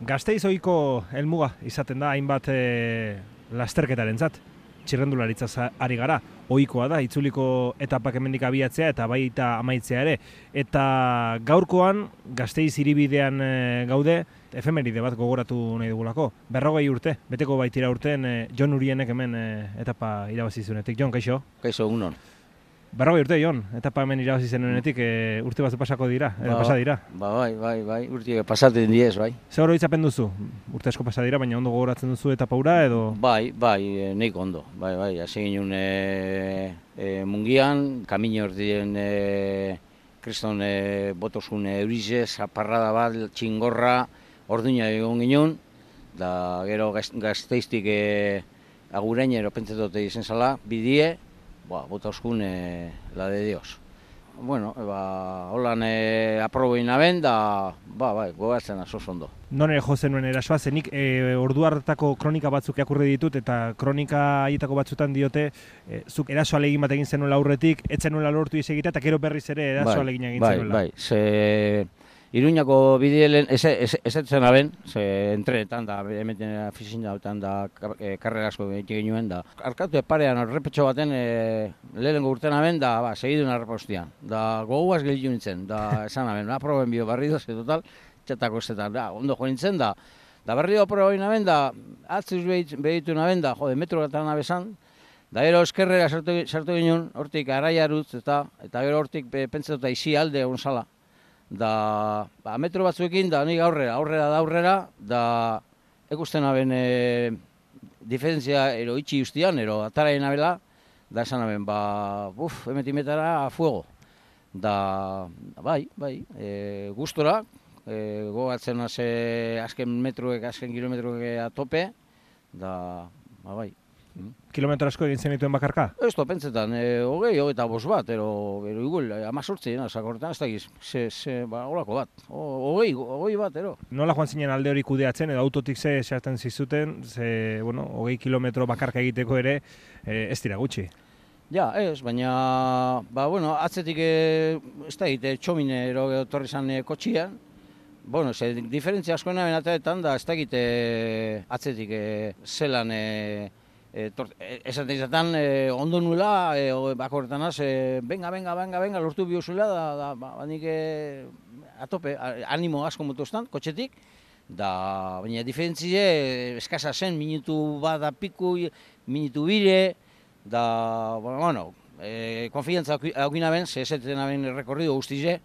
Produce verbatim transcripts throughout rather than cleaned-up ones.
Gasteiz ohiko helmuga izaten da hainbat e, lasterketarentzat. Txirrendularitzaz ari gara, ohikoa da, itzuliko etapak hemendik abiatzea eta baita amaitzea ere. Eta gaurkoan Gasteiz hiribidean e, gaude, efemeride bat gogoratu nahi dugulako. Berrogei urte, beteko baitira urten e, Jon Urienek hemen e, etapa irabazi zuenetik. Jon, kaixo? Kaixo, unon. Berrogei urte, Jon, etapa hemen irabazi zenuenetik e, urte batzu pasako dira, edo ba, pasa dira. Ba, bai, bai, bai, urte pasatzen diez, bai. Zer oroitzapen duzu? Urte asko pasa dira, baina ondo gogoratzen duzu etapa hura edo? Bai, bai, neik ondo, bai, bai, hasi ginen e, e, mungian, kamino ordien e, kriston e, botosun eurize, zaparrada bat, txingorra, orduina egon ginen, da gero Gasteiztik e, agurainero pentsatote izen zala, bidie, ba, botoskun e, la de Dios. Bueno, ba, holan e, aprobein aben, da, ba, bai, gogatzen aso ondo. Non ere jo zenuen erasoa, zenik e, ordu hartako kronika batzuk irakurri ditut, eta kronika haietako batzutan diote, e, zuk erasoa alegin bat egin zenuela aurretik, etzen nuela lortu izegitea, eta gero berriz ere erasoa bai, alegin egin bai, zenuela. Bai, bai, ze Iruñako bidelen, ez etzen aben, ze entrenetan da, emeten afizin dautan da, karrera asko egin genuen da. Arkatu parean errepetxo baten, e, lehenengo urten aben, da, ba, segidun arrepostian. Da, goguaz gelitu nintzen, da, esan aben, aproben bio barri doz, total, txatako estetan, da, ondo jo nintzen, da, da barri do aproben aben, da, atzuz behitu aben, da, jode, metro gatan abesan, da, gero eskerrera sartu, sartu ginen, hortik araiarutz, eta, eta gero hortik pentsatuta izi alde egon zala. Da, ba, metro batzuekin, da, nik aurrera, aurrera da aurrera, da, ekusten aben e, diferentzia ero itxi justian, ero ataraien abela, da esan aben, ba, buf, emetimetara a fuego. Da, bai, bai, e, gustora, e, gogatzen haze azken metroek, azken kilometroek a tope, da, ba, bai. Kilometro asko egin zenituen bakarka? Ez to, pentsetan, e, hogei, hogei eta bost bat, ero, ero igual, amazortzi, sakortan, ez dakiz, ze, ze, ba, holako bat, hogei, hogei bat, ero. Nola joan zinen alde hori kudeatzen, edo autotik ze esaten zizuten, ze, bueno, hogei kilometro bakarka egiteko ere, e, ez dira gutxi? Ja, ez, baina, ba, bueno, atzetik, e, ez da egite, txomine, ero, torri zan e, kotxian, bueno, ze, diferentzia askoena benataetan, da, ez da egite, atzetik, e, zelan, e, E, esaten izaten e, ondo nula, e, bakorretan az, e, benga, benga, benga, benga, lortu biozula, da, da, ba, banik e, atope, animo asko motostan, kotxetik, da, baina diferentzie eskasa zen, minutu bat da piku, minutu bire, da, bueno, bueno e, konfiantza haukina ben, ze esetzen aben rekorrido guztize,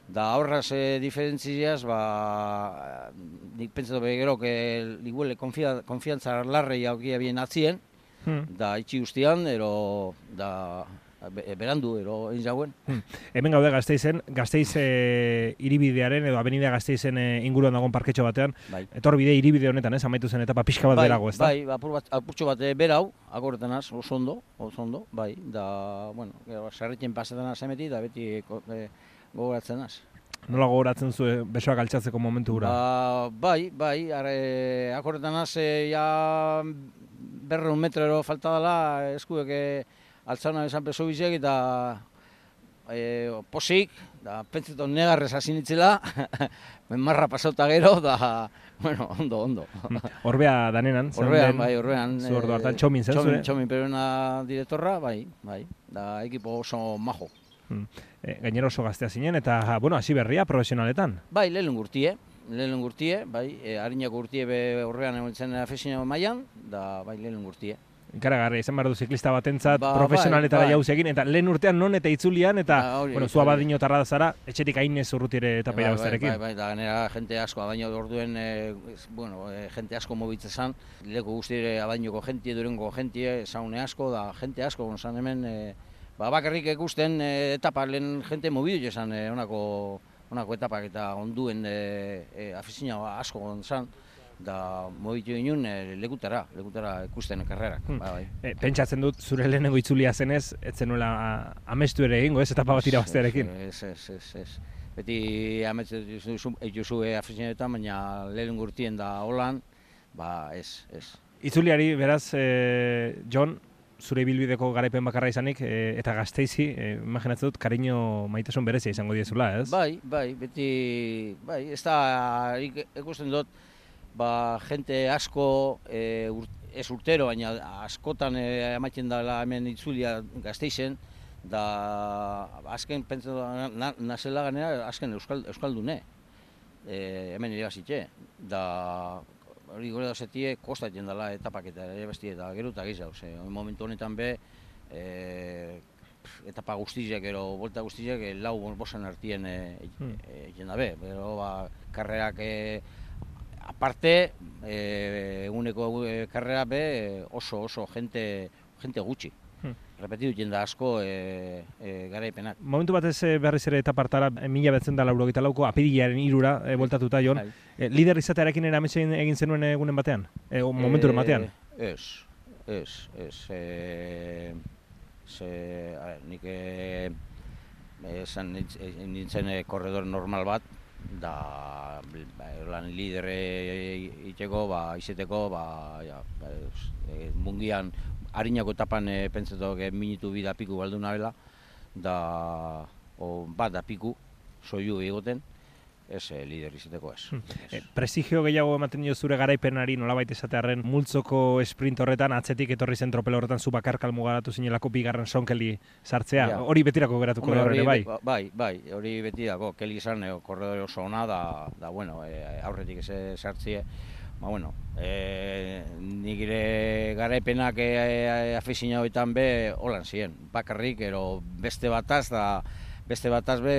da horraz e, diferentziaz, ba, nik pentsatu begero, que igual konfiantza larrei haukia bien atzien, Hmm. Da itxi guztian, ero, da, berandu, ero, egin jauen. Hmm. Hemen gaude Gasteizen, Gasteiz e, iribidearen edo abenida Gasteizen e, inguruan dagoen parketxo batean. Bai. Etor bide iribide honetan, ez, amaitu zen etapa pixka bat bai, berago, ez da? Bai, apur bat, apurtxo bat berau, akorretan az, oso ondo, oso ondo, bai, da, bueno, sarretzen pasetan az emeti, da beti e, gogoratzen az. Nola gogoratzen zu besoak altxatzeko momentu gura? Ba, bai, bai, are, akorretan az, e, ja, berreun metrero falta dela, eskuek e, altzauna esan peso bizek, eta e, posik, da, pentseton negarrez hasi nitzela, marra pasauta gero, da, bueno, ondo, ondo. Orbea danenan? Orbean, bai, orbean. Zu ordu hartan txomin zen zure? Txomin peruena direktorra, bai, bai, da, ekipo oso majo. Hmm. E, gainero oso gaztea zinen, eta, bueno, hasi berria profesionaletan? Bai, lehen gurtie. Lehen gurtie, bai, e, harinako gurtie be horrean egon afezina mailan, da, bai, lehen gurtie. Ikaragarria, izan behar du ziklista batentzat ba, profesionaletara bai, bai. jauzi egin, eta lehen urtean non eta itzulian, eta, ba, hori, bueno, zua badino tarra da zara, etxetik hainez urrutiere eta bai, irabaztearekin. Bai, bai, da, ganera jente asko, abaino orduen, e, bueno, e, jente asko mobitzezan, leku guztire abainoko jentie, durengo jentie, saune asko, da, jente asko, gonzan hemen, e, ba, bakarrik ikusten e, etapa lehen jente mobidu esan, e, onako, honako etapak eta onduen e, e, afizina asko gontzan, da mobitu ginen e, lekutara, lekutara ikusten karrerak. Hmm. Ba, bai. E, pentsatzen dut, zure lehenengo itzulia zenez, ez zenuela amestu ere egingo, ez, etapa bat irabaztearekin? Ez, ez, ez, ez. Beti ametzen dituzu afizinetan, baina lehenengo urtien da holan, ba ez, ez. Itzuliari, beraz, e, Jon, zure ibilbideko garaipen bakarra izanik, e, eta Gasteizi, e, imaginatzen dut, kariño maitasun berezia izango diezula, ez? Bai, bai, beti, bai, ez da, ikusten dut, ba, jente asko, e, ur, ez urtero, baina askotan e, ematen dela hemen itzulia Gasteizen, da azken pentsatu na, nazela ganera, azken euskal, euskaldune, e, hemen irabazitxe, da hori gore da zetie, kostatzen dela etapak eta irabaztie, eta gero eta gehiago, ze, momentu honetan be, e, etapa guztiak, gero, volta guztiak, lau bosan artien egin e, dabe, bero, ba, karrerak e, aparte, eguneko e, karrera be oso oso jente, jente gutxi. Hmm. Repetitu jende asko e, e, garaipenak. Momentu batez berriz ere eta partara mila betzen da laurogeita lauko apirilaren irura e, voltatuta, Jon. E, lider izatearekin erametxein egin zenuen egunen batean? E, momenturen batean? Ez, ez, ez. E, ze, a ver, nik e, esan nintzen korredor normal bat, da lan lidere iteko, ba, izeteko, ba, ja, e, mungian harinako etapan e, pentsatok e, minutu bi da piku galdu nabela, da o, bat da piku, soiu egoten, ez e, lider izeteko ez. Hmm. E, prestigio gehiago ematen dio zure garaipenari nolabait esatearren multzoko sprint horretan, atzetik etorri zen tropel horretan zu bakar kalmugaratu zinelako bigarren sonkeli sartzea, ja. Hori betirako geratuko da ere, bai? Bai, bai, hori betirako, keli izan, korredore oso ona, da, da bueno, e, aurretik ez sartzie, ba, bueno, e, nik ere garaipenak e, e, afizina horietan be, holan ziren, bakarrik, ero beste bataz, da, beste bataz be,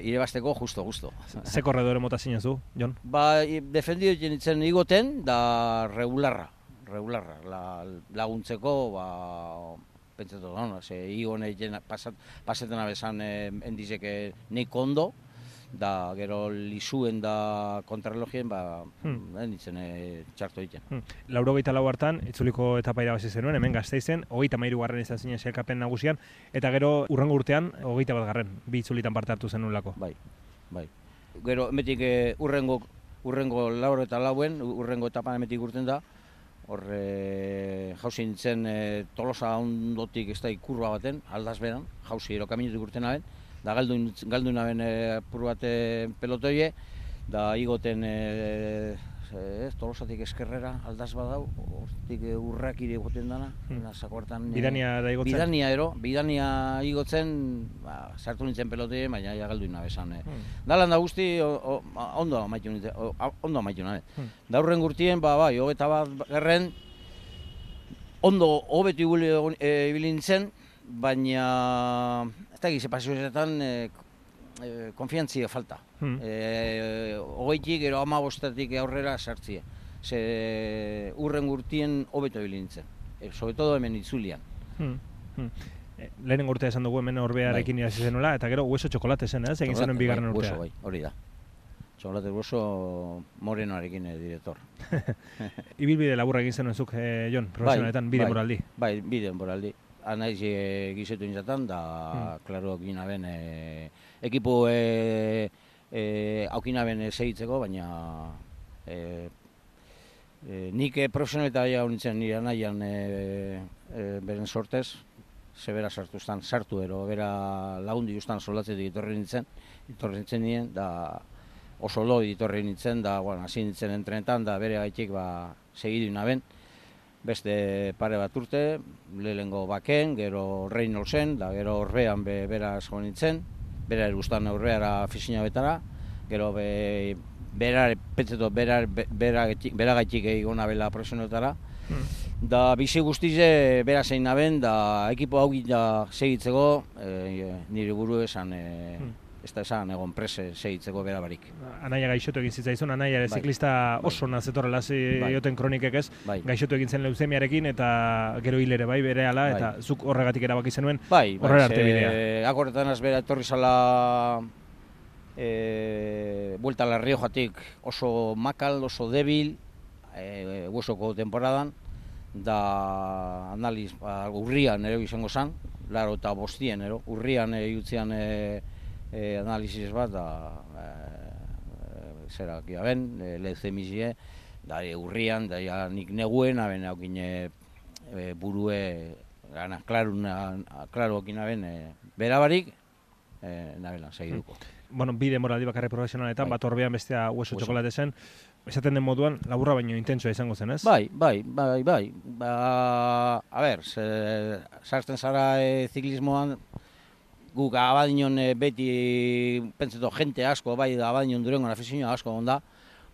irebazteko justo-justo. Ze korredore mota zinen zu, Jon? Ba, defendido jenitzen igoten, da regularra, regularra, la, laguntzeko, ba, pentsatu da, no? Ze igone pasat, pasetan abezan eh, endizeke neik ondo, da gero lisuen da kontrarrelojien, ba, hmm. enditzen e, txarto egiten. Hmm. Laurogeita lau hartan, itzuliko etapa irabazi zenuen, hemen Gasteizen, hogeita hamairu garren izan zinen sailkapen nagusian, eta gero urrengo urtean, hogeita bat garren, bi itzulitan parte hartu zenulako. Bai, bai. Gero, emetik e, urrengo, urrengo lauro eta lauen, urrengo etapan emetik urten da, horre jauzi nintzen e, Tolosa ondotik ez da ikurba baten, aldaz beran, jauzi ero kaminetik urten aben, da galdu, galdu naben apur bat pelotoie, da igoten e, e, Tolosatik eskerrera aldaz badau, hortik urrak ire egoten dana, hmm. zakortan... Bidania da igotzen? Bidania ero, bidania igotzen, ba, sartu nintzen pelotoie, baina ja galdu nabesan. E. Hmm. Dalan da guzti, o, o, ondo amaitu nintzen, o, ondo amaitu nabe. Hmm. Da hurren gurtien, ba, bai, hogeta bat gerren, ondo hobetu ibili nintzen, baina... eta egize pasioetan e, e, konfiantzia falta. Hmm. E, Ogeitik, ero ama bostatik aurrera sartzia. Ze urren gurtien hobeto bilintzen. E, Sobretodo hemen itzulian. Hmm. Hmm. E, Lehenen urtea esan dugu hemen orbearekin bai. Irasi zenuela, eta gero hueso txokolate zen, ez? Egin zenuen bigarren bai, urtea. Hueso, bai, hori da. Txokolate hueso morenoarekin e, direktor. Ibilbide laburra egin zenuen zuk, e, Jon, profesionaletan, bide bai, moraldi. Bai, bide moraldi. Anaiz e, gizetu nintzatan, da, hmm. klaro, gina ben, e, ekipo e, e, aukina ben segitzeko, baina e, e, nik e, profesionaleta ja nintzen nire anaian e, e, beren sortez, zebera sartu estan, sartu ero, bera lagundi justan solatzetik itorri nintzen, itorri nintzen nien, da oso lo itorri nintzen, da, bueno, hasi nintzen entrenetan, da bere gaitik, ba, segidu naben. Beste pare bat urte, lehengo baken, gero Reynoldsen, da gero horrean be, bera esko nintzen, bera erustan horreara fisina betara, gero be, bera, petzeto, bera, bera, bera gaitik egon nabela profesionotara. Hmm. Da bizi guztize bera zein naben, da ekipo hau da segitzeko, e, nire buru esan, e, hmm. ez da esan egon prese segitzeko bera barik. Anaia gaixotu egin zitzaizun, Anaia ere bai. Ziklista oso bai. Nazetorrela zioten bai. Kronikek ez, bai. Gaixotu egin zen leuzemiarekin eta gero hilere bai bere ala, bai. Eta zuk horregatik erabaki zenuen bai, horrela arte bidea. Akorretan az bera etorri zala e, buelta la Riojatik oso makal, oso debil, e, huesoko temporadan, da analiz, ba, urrian ere izango zan, laro eta bostien, ero, urrian e, jutzean e, E, analizis bat, da, e, e, zera, kia ben, e, leucemizie, da, e, urrian, da, ja, nik neguen, aben, haukin e, burue, gana, klaru, klaru haukin aben, e, berabarik, e, nabela, segiduko. Bueno, bide moraldi bakarri profesionaletan, bai. Bat orbean bestea hueso txokolate zen, esaten den moduan, laburra baino intentsua izango zen, ez? Bai, bai, bai, bai. Ba, a ber, sartzen zara e, ziklismoan, guk abadinon e, beti pentseto jente asko, bai, abadinon durengon afizioa asko onda,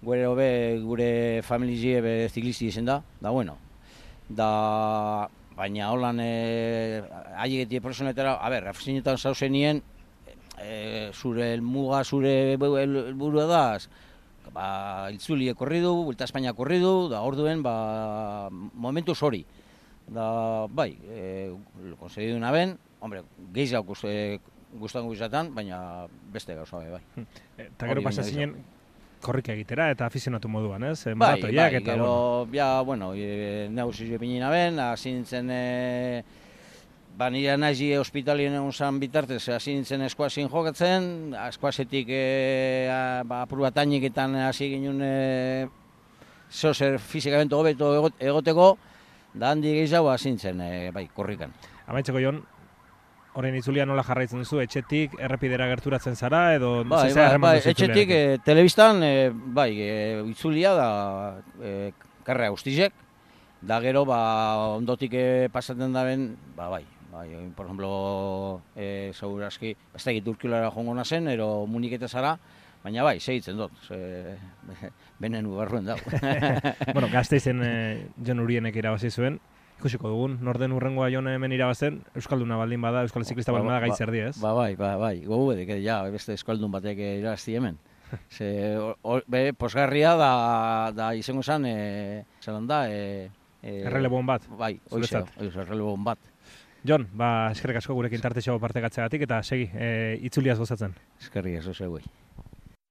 gure hobe, gure familizie be ziklisti izen da, da bueno. Da, baina holan e, aiegeti personetara, a ber, afizioetan zauzenien, e, zure elmuga, zure helburua da, ba, Itzuli korri du, Vuelta a España korri du, da orduen, ba, momentu hori. Da, bai, e, konsegi duna ben, hombre, gehiago gustango izatan, baina beste gauza bai. Eta gero pasa zinen korrika egitera eta afizionatu moduan, ez? Bai, Maratoiak bai, eta, gero, bueno. ja, bueno, e, negozio epinina ben, hasi nintzen, e, ba, nire nahi hospitalien egun zan bitartez, hasi nintzen eskuazin jokatzen, eskuazetik e, ba, apur bat ainiketan hasi ginen e, zozer fizikamentu hobeto egoteko, da handi gehiago hasi nintzen, e, bai, korrikan. Amaitzeko Jon, horren itzulia nola jarraitzen duzu, etxetik errepidera gerturatzen zara, edo bai, zizea bai, harreman bai, duzu etxetik, itzuliarekin? e, telebistan, e, bai, e, itzulia da e, karrea guztizek, da gero, ba, ondotik e, pasatzen da ben, ba, bai, bai, por ejemplo, e, segurazki, ez da egit urkilara jongo nazen, ero muniketa zara, baina bai, segitzen dut, ze, benen ugarruen dago. Bueno, Gasteizen e, Jon Urienek irabazi zuen, ikusiko dugun, norden urrengoa Jon hemen irabazen, Euskalduna baldin bada, Euskal ziklista baldin bada gaitzer di, ez? Ba, bai, ba, bai, gogu edik, ja, beste Euskaldun batek irabazti hemen. Ze, or, be, posgarria da, da izango zen, e, zelan da, e, e, Errelebon bat, bai, oizeo, oizeo, errelebon bat. Jon, ba, eskerrik asko gurekin tartexo parte gatzeagatik eta segi, e, itzuliaz gozatzen. Eskerrik asko zeuei.